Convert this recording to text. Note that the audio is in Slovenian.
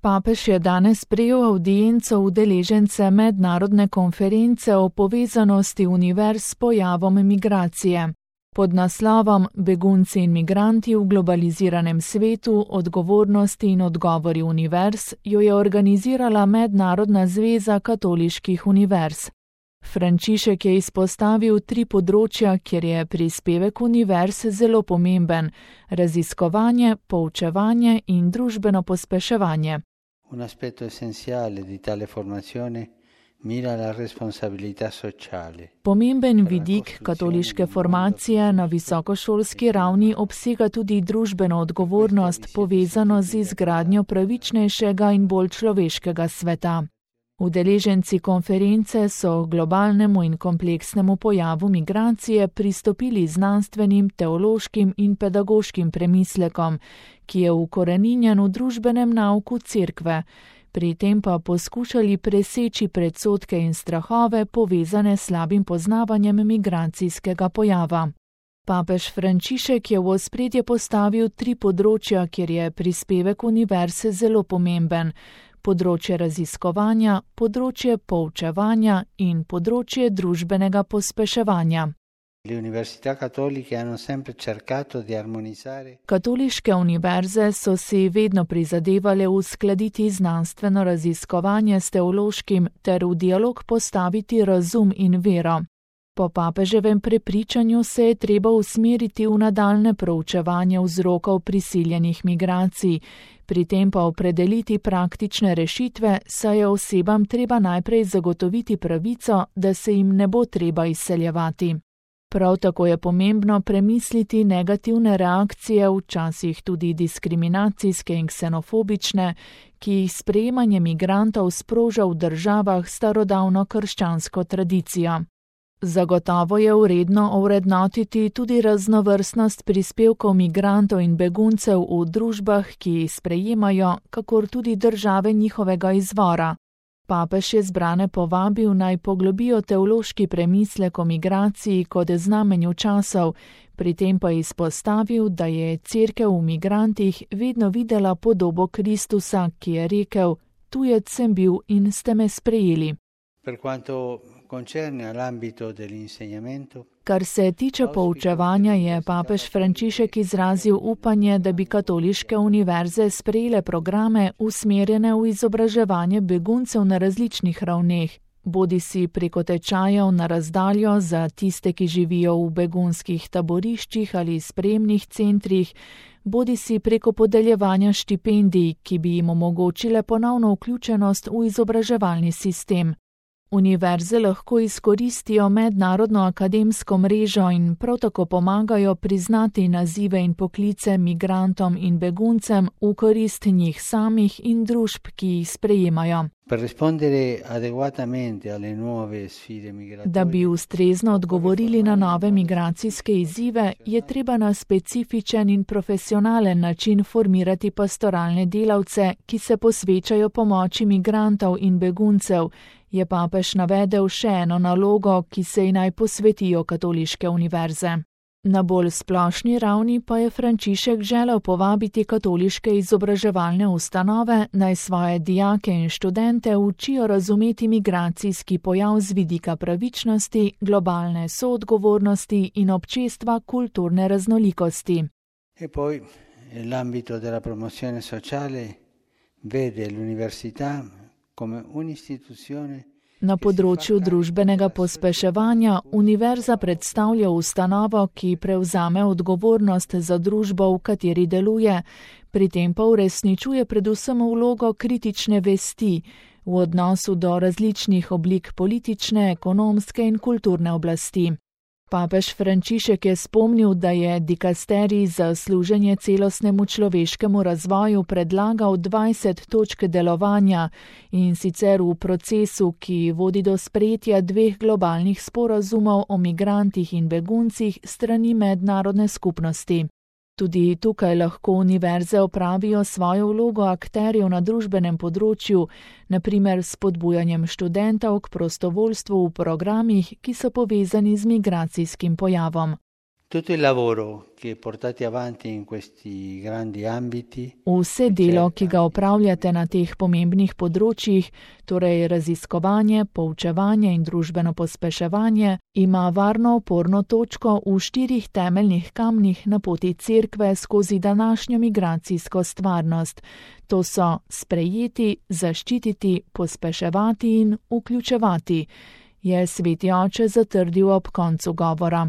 Papež je danes sprejel avdienco udeležence mednarodne konference o povezanosti univerz s pojavom migracije. Pod naslovom Begunci in migranti v globaliziranem svetu, odgovornosti in odgovori univerz jo je organizirala Mednarodna zveza katoliških univerz. Frančišek je izpostavil 3 področja, kjer je prispevek univerz zelo pomemben: raziskovanje, poučevanje in družbeno pospeševanje. Un aspetto essenziale di tale formazione mira la responsabilità sociale. Pomemben vidik katoliške formacije na visokošolski ravni obsega tudi družbeno odgovornost, povezano z izgradnjo pravičnejšega in bolj človeškega sveta. Udeleženci konference so globalnemu in kompleksnemu pojavu migracije pristopili znanstvenim, teološkim in pedagoškim premislekom, ki je ukoreninjen v družbenem nauku Cerkve, pri tem pa poskušali preseči predsodke in strahove, povezane s slabim poznavanjem migracijskega pojava. Papež Frančišek je v ospredje postavil 3 področja, kjer je prispevek univerze zelo pomemben: področje raziskovanja, področje poučevanja in področje družbenega pospeševanja. Katoliške univerze so si vedno prizadevale uskladiti znanstveno raziskovanje s teološkim ter v dialog postaviti razum in vero. Po papeževem prepričanju se je treba usmeriti v nadaljnje proučevanje vzrokov prisiljenih migracij, pri tem pa opredeliti praktične rešitve, saj je osebam treba najprej zagotoviti pravico, da se jim ne bo treba izseljevati. Prav tako je pomembno premisliti negativne reakcije, včasih tudi diskriminacijske in ksenofobične, ki jih sprejemanje migrantov sproža v državah s starodavno krščansko tradicijo. Zagotovo je vredno ovrednotiti tudi raznovrstnost prispevkov migrantov in beguncev v družbah, ki jih sprejemajo, kakor tudi države njihovega izvora. Papež je zbrane povabil, naj poglobijo teološki premislek o migraciji kot znamenju časov, pri tem pa izpostavil, da je Cerkev v migrantih vedno videla podobo Kristusa, ki je rekel: tujec sem bil in ste me sprejeli. Kar se tiče poučevanja, je papež Frančišek izrazil upanje, da bi katoliške univerze sprejele programe usmerjene v izobraževanje beguncev na različnih ravneh, bodisi preko tečajev na razdaljo za tiste, ki živijo v begunskih taboriščih ali sprejemnih centrih, bodisi preko podeljevanja štipendij, ki bi jim omogočile ponovno vključenost v izobraževalni sistem. Univerze lahko izkoristijo mednarodno akademsko mrežo in prav tako pomagajo priznati nazive in poklice migrantom in beguncem v korist njih samih in družb, ki jih sprejemajo. Da bi ustrezno odgovorili na nove migracijske izzive, je treba na specifičen in profesionalen način formirati pastoralne delavce, ki se posvečajo pomoči migrantov in beguncev, je papež navedel še eno nalogo, ki se ji naj posvetijo katoliške univerze. Na bolj splošni ravni pa je Frančišek želel povabiti katoliške izobraževalne ustanove, naj svoje dijake in študente učijo razumeti migracijski pojav z vidika pravičnosti, globalne soodgovornosti in občestva kulturne raznolikosti. E poi, nell'ambito della promozione sociale, vede l'università come un'istituzione. Na področju družbenega pospeševanja univerza predstavlja ustanovo, ki prevzame odgovornost za družbo, v kateri deluje, pri tem pa uresničuje predvsem vlogo kritične vesti v odnosu do različnih oblik politične, ekonomske in kulturne oblasti. Papež Frančišek je spomnil, da je dikasterij za služenje celostnemu človeškemu razvoju predlagal 20 točk delovanja, in sicer v procesu, ki vodi do sprejetja 2 globalnih sporazumov o migrantih in beguncih strani mednarodne skupnosti. Tudi tukaj lahko univerze opravijo svojo vlogo akterjev na družbenem področju, na primer s spodbujanjem študentov k prostovoljstvu v programih, ki so povezani z migracijskim pojavom. Tutto il lavoro che portate avanti in questi grandi ambiti. Vse delo, ki ga opravljate na teh pomembnih področjih, torej raziskovanje, poučevanje in družbeno pospeševanje, ima varno oporno točko v 4 temeljnih kamnih na poti Cerkve skozi današnjo migracijsko stvarnost. To so sprejeti, zaščititi, pospeševati in vključevati, je sveti oče zatrdil ob koncu govora.